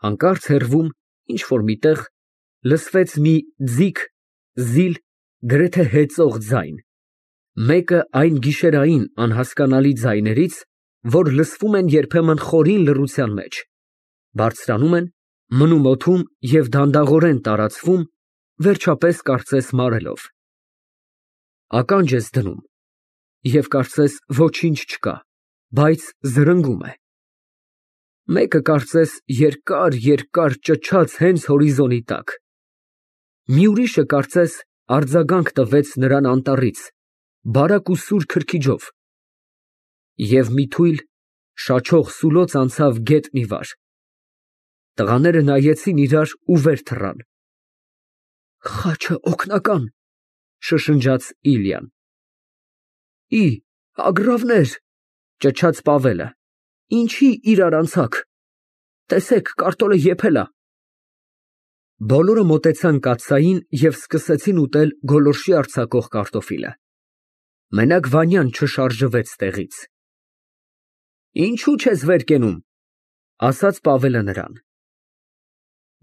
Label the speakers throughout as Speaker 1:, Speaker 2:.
Speaker 1: Հանկարծ հեռվում, ինչ֊որ միտեղ, լսվեց մի ձիգ, զիլ, գրեթե հեծող ձայն, մեկը այն գիշերային անհասկանալի ձայներից, որ լսվում են երբեմն խորին լռության մեջ, բարձրանում են, մնում օդում և դանդաղորեն տարածվում, վերջապես կարծես մարելով. ականջ ես դնում, և կարծես ոչինչ չկա, բայց զրնգում է։ Մեկը կարծես երկար ճչաց հենց հորիզոնի տակ, մի ուրիշը կարծես արձագանք տվեց նրան անտառից, բարակ ու սուր քրքիջով, և մի թույլ, շաչող սուլոց անցավ գետնի վար։ Տղաները նայեցին իրար ու վեր թռան։ «Խաչը օգնական», շշնջաց Իլյան։ Ագրավներ, ճչաց Պավելը, ինչի իրար անցաք, տեսեք, կարտոլը եփել ա։ Բոլորը մոտեցան կաթսային և սկսեցին ուտել գոլորշի արձակող կարտոֆիլը։ Մենակ Վանյան չշարժվեց տեղից։ Ինչու չես վեր կենում, ասաց Պավելը նրան։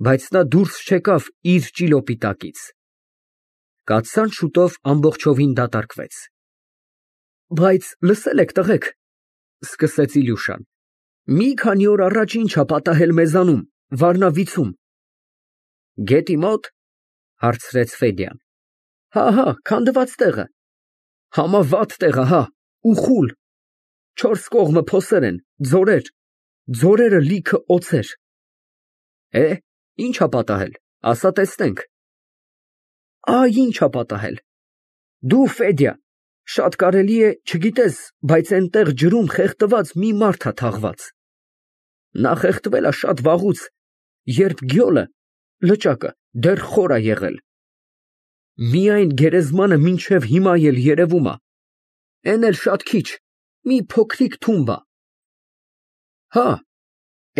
Speaker 1: Բայց նա դուրս չեկավ իր ճիլոպի տակից։ Կաթսան շուտով ամբողջովին դատարկվեց։ Բայց լսել եք, տղեկ, սկսեց Իլյուշան, մի քանի օր առաջ ինչ ա պատահել մեզանում, Վարնավիցում։ Գետի մո՞տ, հարցրեց Ֆեդյան։ Հա, քանդված տեղը։ Համավատ տեղ ա, հա, ու խուլ, 4 կողմը փոսեր են, ձորեր, ձորերը լիքը օձեր։ Ինչ ա պատահել, ասա տեսնենք։ Ինչ ա պատահել։ Դու, Ֆեդյա, շատ կարելի է, չգիտես, բայց այնտեղ ջրում խեղդված մի մարդ ա թաղված։ Նա խեղդվել ա շատ վաղուց, երբ գյոլը, լճակը, դեռ խոր ա եղել։ Միայն գերեզմանը մինչև հիմա էլ երևում ա, էն էլ շատ քիչ, մի փոքրիկ թումբ ա։ Հա,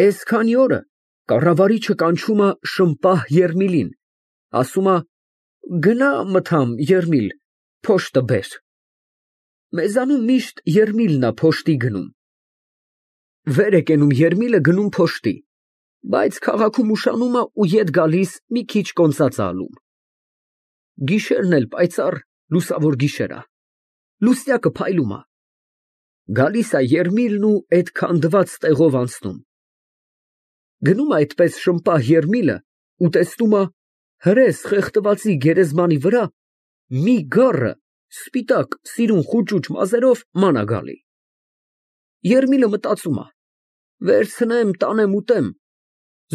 Speaker 1: էս քանի օրը կառավարիչը կանչում ա Շմպահ Եռմիլին, ասում ա, գնա մթամ, Եռմիլ, փոշտը բեր։ Մեզանում միշտ Եռմիլն ա փոշտի գնում։ Վեր է կենում Եռմիլը գնում փոշտի, բայց քաղաքում ուշանում ա ու ետ գալիս մի քիչ կոնծած ա անում։ Գիշերն էլ պայծառ, լուսավոր գիշեր ա, լուսնյակը փայլում ա։ Գալիս ա Եռմիլն ու էդ քանդված տեղով անցնում։ Գնում ա այդպես Շմպահ Եռմիլը ու տեսնում ա հրես խեղդվածի գերեզմանի վրա մի գառը սպիտակ, սիրուն խուճուճ մազերով ման ա գալի։ Եռմիլը մտածում ա. վերցնեմ, տանեմ ուտեմ,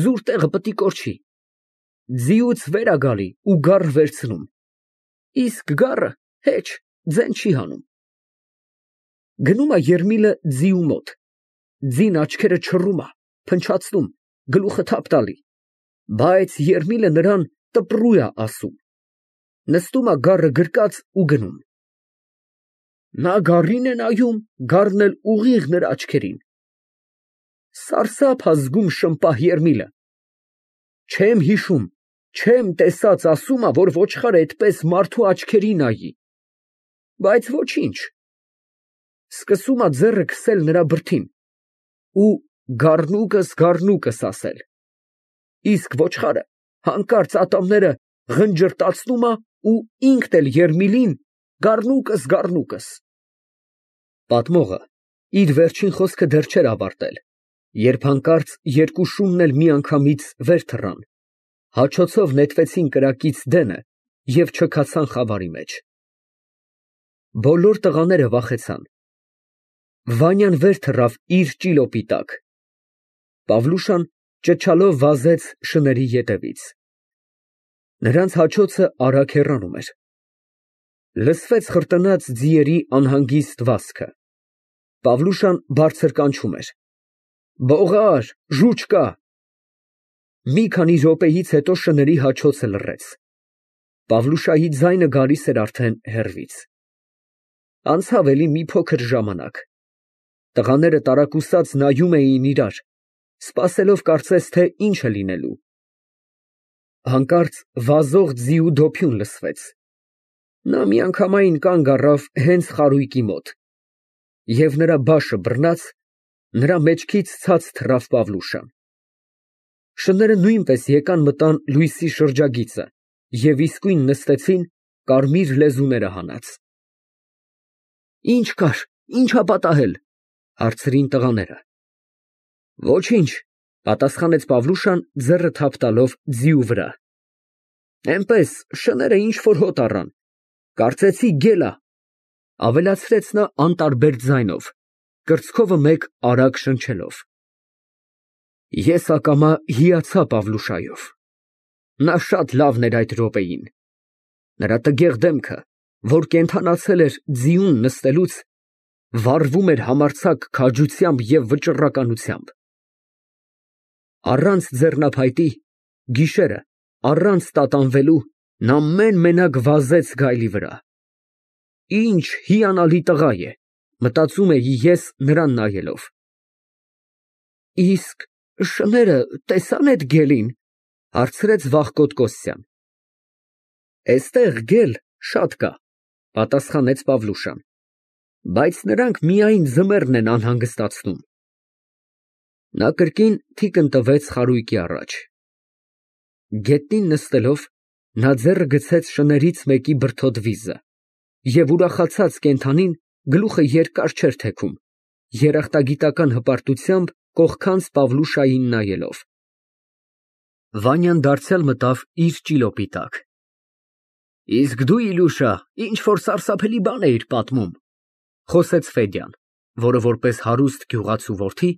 Speaker 1: զուր տեղը պտի կորչի։ Ձիուց վեր ա գալի ու գառ վերցնում։ Իսկ գառը հեչ, ձեն չի հանում։ Գնում ա Եռմիլը ձիու մոտ, ձին աչքերը չռում ա, փնչացնում, գլուխը թափ տալի, բայց Եռմիլը նրան տպռու ա ասում։ Նստում ա գառը գրկած ու գնում։ Նա գառին է նայում, գառն էլ ուղիղ նրա աչքերին։ Սարսափ ա զգում Շմպահ Եռմիլը։ Չեմ հիշում, չեմ տեսած ասում ա, որ ոչխարը էդպես մարդու աչքերի նայի։ Բայց ոչինչ։ Սկսում ա ձեռը քսել նրա բրդին ու գառնուկս ասել։ Իսկ ոչխարը հանկարծ ատամները ղնջրտացնում ա ու ինքն էլ Եռմիլին գառնուկս։ Պատմողը իր վերջին խոսքը դեռ չէր ավարտել, երբ հանկարծ երկու շունն էլ միանգամից վեր թռան, հաչոցով նետվեցին կրակից դենը և չքացան խավարի մեջ։ Բոլոր տղաները վախեցան։ Վանյան վեր թռավ իր ճիլոպի տակ։ Պավլուշան ճչալով վազեց շների ետևից։ Նրանց հաչոցը արագ հեռանում էր։ Լսվեց խրտնած ձիերի անհանգիստ վազքը։ Պավլուշան բարձր կանչում էր. Բողա՛ր, ժուչ կա։ Մի քանի րոպեից հետո շների հաչոցը լռեց։ Պավլուշայի ձայնը գալիս էր արդեն հեռվից։ Անցավ էլի մի փոքր ժամանակ։ Տղաները տարակուսած նայում էին իրար, սպասելով կարծես թե ինչ է լինելու։ Հանկարծ վազող ձիու դոփյուն լսվեց։ Նա միանգամայն կանգ առավ հենց խարույկի մոտ, և նրա բաշը բռնած, նրա մեջքից ցած թռավ Պավլուշան։ Շները նույնպես եկան մտան լույսի շրջագիծը և իսկույն նստեցին կարմիր լեզուները հանած։ Ինչ կար, ինչա պատահել, հարցրին տղաները։ Ոչինչ, պատասխանեց Պավլուշան ձեռը թափ տալով ձիու վրա։ Էնպես շները ինչ որ հոտ առան, կարծեցի գել ա, ավելացրեց նա անտարբեր ձայնով, կրծքովը մեկ արագ շնչելով։ Ես ակամա հիացա Պավլուշայով։ Նա շատ լավն էր այդ րոպեին։ Նրա տգեղ դեմքը, որ կենդանացել էր ձիուն նստելուց, վառվում էր համարձակ քաջությամբ և վճռականությամբ։ Առանց ձեռնափայտի, գիշերը, առանց տատանվելու, նա մեն֊մենակ վազեց գայլի վրա։ Ինչ հիանալի տղա է, մտածում էի ես նրան նայելով։ Իսկ շները տեսա՞ն էդ գելին, հարցրեց վախկոտ Կոստյան։ Էստեղ գել շատ կա, պատասխանեց Պավլուշան, բայց նրանք միայն ձմեռն են անհանգստացնում։ Նա կրկին թիկն տվեց խարույկի առաջ։ Գետնին նստելով, նա ձեռը գցեց շներից մեկի բրդոտ վիզը և ուրախացած կենդանին գլուխը երկար չէր թեքում, երախտագիտական հպարտությամբ կողքանց Պավլուշային նայելով։ Վանյան դարձյալ մտավ իր ճիլոպի տակ։ Իսկ դու, Իլյուշա, ինչ որ սարսափելի բան էիր պատմում, խոսեց Ֆեդյան, որը որպես հարուստ գյուղացու որդի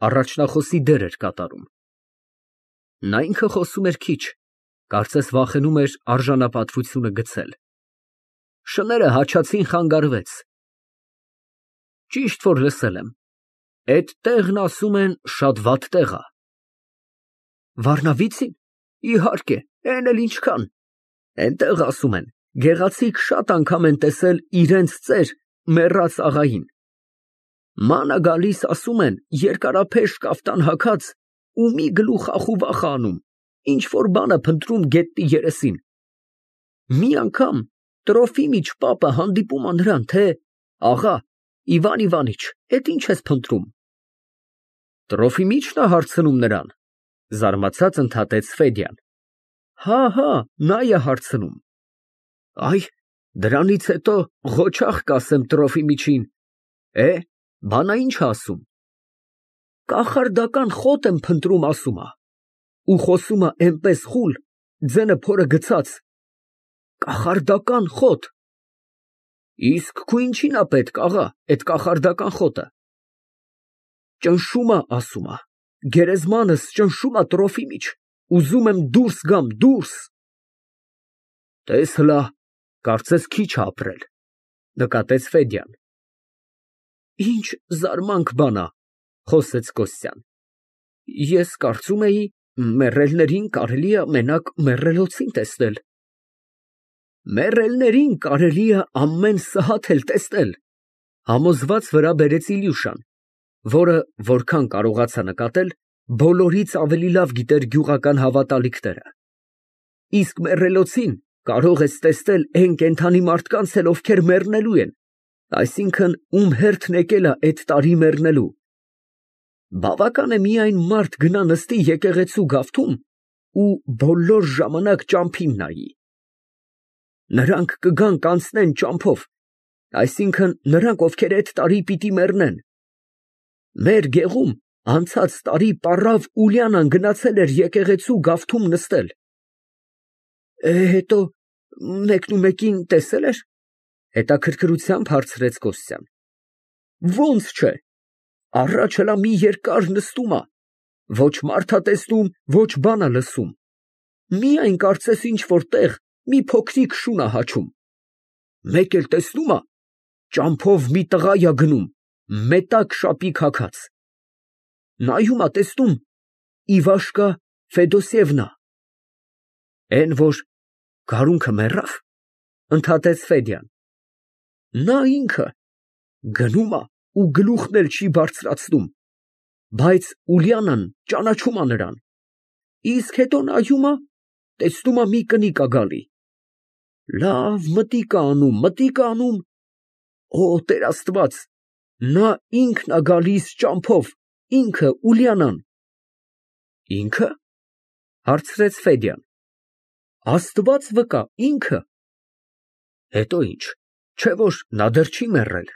Speaker 1: առաջնախոսի դեր էր կատարում։ Նա ինքը խոսում էր քիչ, կարծես վախենում էր արժանապատվությունը գցել։ Շները հաչացին խանգարվեց։ Ճիշտ որ լսել եմ, էդ տեղն ասում են շատ վատ տեղ ա։ Վառնավի՞ցին։ Իհարկե, էն էլ ինչքան։ Էնտեղ ասում են, գեղացիկ շատ անգամ են տեսել իրենց ծեր մեռած աղային։ Ման ա գալիս, ասում են, երկարափեշ կաֆտան հագած ու մի գլուխ ախուվախ ա անում, ինչ որ բան ա փնտրում գետնի երեսին։ Մի անգամ Տրոֆիմիչ պապը հանդիպում ա նրան, թե աղա, Իվան Իվանիչ, էդ ինչ ես փնտրում։ Տրոֆիմիչն ա հարցնում նրան, զարմացած ընդհատեց Ֆեդյան։ Հա, նա է հարցնում։ Այ, դրանից հետո ղոչաղ կասեմ Տրոֆիմիչին, բանա ինչ ասում։ Կախարդական խոտ եմ փնտրում, ասում ա, ու խոսում ա էնպես խուլ, ձենը փորը գցած։ Կախարդական խոտ։ Իսկ քու ինչին ա պետք, աղա, էդ կախարդական խոտը։ Ճնշում ա, ասում ա, գերեզմանս ճնշում ա Տրոֆիմիչ, ուզում եմ դուրս գամ, դուրս։ Տես հլա, կարծես քիչ ա ապրել, նկատեց Ֆեդյան։ Ինչ զարմանք բան ա, խոսեց Կոստյան։ Ես կարծում էի, մեռելներին կարելի ա մենակ մեռելոցին տեսնել։ Մեռելներին կարելի ա ամեն սհաթ էլ տեսնել, համոզված վրա բերեց Իլյուշան, որը, որքան կարողացա նկատել, բոլորից ավելի լավ գիտեր գյուղական հավատալիքները։ Իսկ մեռելոցին կարող ես տեսնել էն կենդանի մարդկանց էլ, ովքեր մեռնելու են, այսինքն ում հերթն եկել ա էդ տարի մեռնելու։ Բավական է միայն մարդ գնա նստի եկեղեցու գավթում ու բոլոր ժամանակ ճամփին նայի։ Նրանք կգան կանցնեն ճամփով, այսինքն նրանք, ովքեր էդ տարի պիտի մեռնեն։ Մեր գեղում անցած տարի պառավ Ուլիանան գնացել էր եկեղեցու գավթում նստել։ Հետո մեկնումեկին տեսել էր, հետաքրքրությամբ հարցրեց Կոստյան։ Ոնց չէ, առաջ հլա մի երկար նստում ա, ոչ մարդ ա տեսնում, ոչ բան ա լսում, միայն կարծես ինչ որ տեղ մի փոքրիկ շուն ա հաչում։ Մեկ էլ տեսնում ա, ճամփով մի տղա ա գնում, մետակ շապիկ հագած։ Նայում ա, տեսնում, Իվաշկա Ֆեդոսիևնա։ Էն որ գարունքը մեռավ, ընդհատեց Ֆեդյան։ Նա ինքը գնում ա ու գլուխն էլ չի բարձրացնում, բայց Ուլիանան ճանաչում ա նրան։ Իսկ հետո նայում ա, տեսնում ա մի կնիկ ա գալի։ Լավ մտիկ ա անում, օ, Տեր Աստված, նա ինքն ա գալիս ճամփով, ինքը Ուլիանան։ Ինքը։ Հարցրեց Ֆեդյան։ Աստված վկա, ինքը։ Հետո ինչ, չէ որ նա դեռ չի մեռել։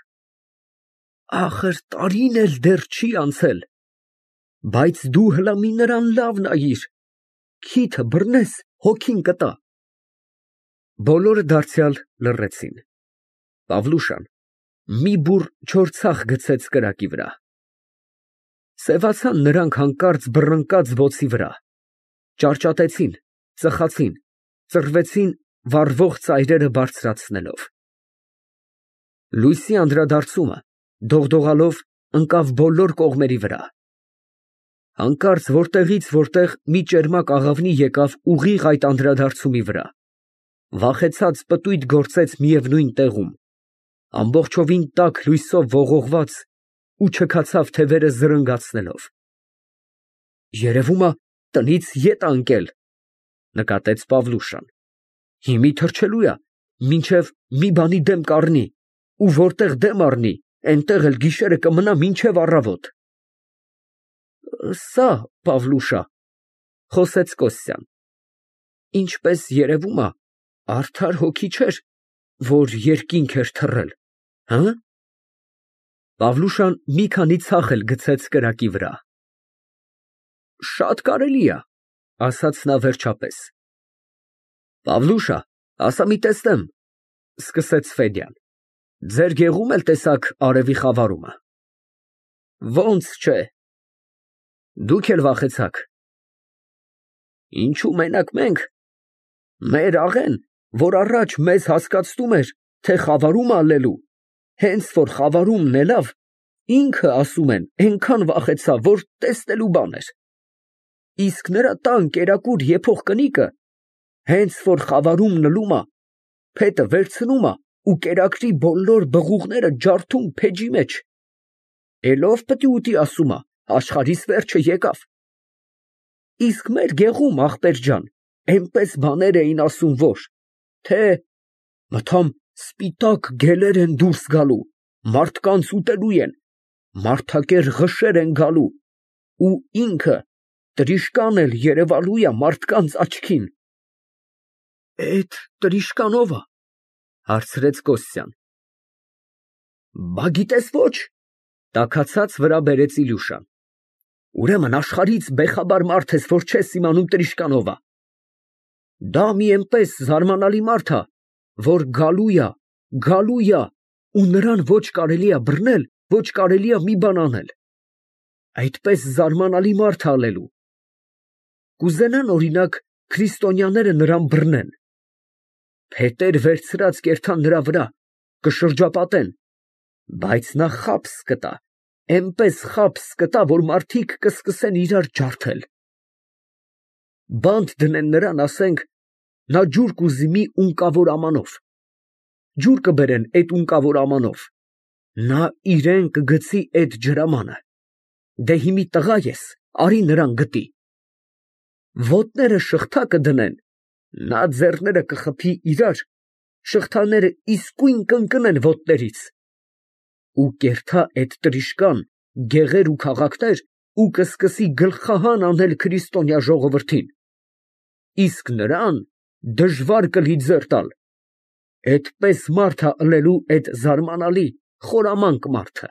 Speaker 1: Ախր տարին էլ դեռ չի անցել, բայց դու հլա մի նրան լավ նայիր, քիթը բռնես, հոգին կտա։ Բոլորը դարձյալ լռեցին։ Պավլուշան մի բուռ չոր ցախ գցեց կրակի վրա։ Սևացան նրանք հանկարծ բռնկած ոցի վրա, ճարճատեցին, ծխացին, ծռվեցին վառվող ծայրերը բարձրացնելով։ Լույսի անդրադարձումը դողդողալով ընկավ բոլոր կողմերի վրա։ Հանկարծ որտեղից որտեղ մի ճերմակ աղավնի եկավ ուղիղ այդ անդրադարձումի վրա, վախեցած պտույտ գործեց միևնույն տեղում, ամբողջովին տաք լույսով ողողված ու չքացավ թևերը զրնգացնելով։ Երևում է տնից ետ ա ընկել, նկատեց Պավլուշան։ Հիմի թռչելու է, մինչև մի բանի դեմ կառնի, ու որտեղ դեմ առնի, այնտեղ էլ գիշերը կմնա մինչև առավոտ։ Սա, Պավլուշա, խոսեց Կոստյան, ինչպես երևում է, արդար հոգի չէր, որ երկինք էր թռել, հը՞։ Պավլուշան մի քանի ցախ էլ գցեց կրակի վրա։ Շատ կարելի է, ասաց նա վերջապես։ Պավլուշա, ասա մի տեսնեմ, սկսեց Ֆեդյան, ձեր գեղում էլ տեսաք արևի խավարումը։ Ոնց չէ։ Դուք էլ վախեցաք։ Ինչու մենակ մենք։ Մեր աղեն, որ առաջ մեզ հասկացնում էր, թե խավարում ալելու, հենց որ խավարումն ելավ, ինքը ասում են, այնքան վախեցավ, որ տեսնելու բան էր։ Իսկ նրա տան կերակուր եփող կնիկը, հենց որ խավարումն լում է, փետը վերցնում է ու կերակրի բոլոր բղուղները ջարդում փեջի մեջ։ Էլով պտի ուտի ասում է, աշխարհիս վերջը եկավ։ Իսկ մեր գեղում, ախպեր ջան, այնպես բաներ էին ասում, որ թե մթամ սպիտակ գելեր են դուրս գալու, մարդկանց ուտելու են, մարդակեր ղշեր են գալու, ու ինքը տրիշկան էլ երևալու է մարդկանց աչքին։ Էդ տրիշկան ով է, հարցրեց Կոստյան։ Բա գիտես ոչ, տաքացած վրա բերեց Իլյուշան։ Ուրեմն աշխարհից բեխաբար մարդ ես, որ չես իմանում տրիշկան ով է։ Դա մի այնպես զարմանալի մարդ է, որ գալու է, ու նրան ոչ կարելի է բռնել, ոչ կարելի է մի բան անել։ Այդպես զարմանալի մարդ ալելու։ Կուզենան, օրինակ, քրիստոնյաները նրան բռնեն։ Փետեր վերցրած կերթան նրա վրա, կշրջապատեն, բայց նա խաբս կտա, այնպես խաբս կտա, որ մարդիկ կսկսեն իրար ջարդել։ Բանտ դնեն նրան, ասենք, նա ջուր կուզի մի ունկավոր ամանով։ Ջուր կբերեն այդ ունկավոր ամանով։ Նա իրեն կգցի այդ ջրամանը։ Դե հիմի տղա ես, արի նրան գտի։ Ոտները շղթա կդնեն, նա ձեռները կխփի իրար, շղթաները իսկույն կընկնեն ոտներից։ Ու կերթա այդ տրիշկան գեղեր ու քաղաքներ ու կսկսի գլխահան անել քրիստոնյա ժողովրդին։ Իսկ նրան դժվար կլի ձեռ տալ։ Էդպես մարդ է ըլելու այդ զարմանալի խորամանկ մարդը։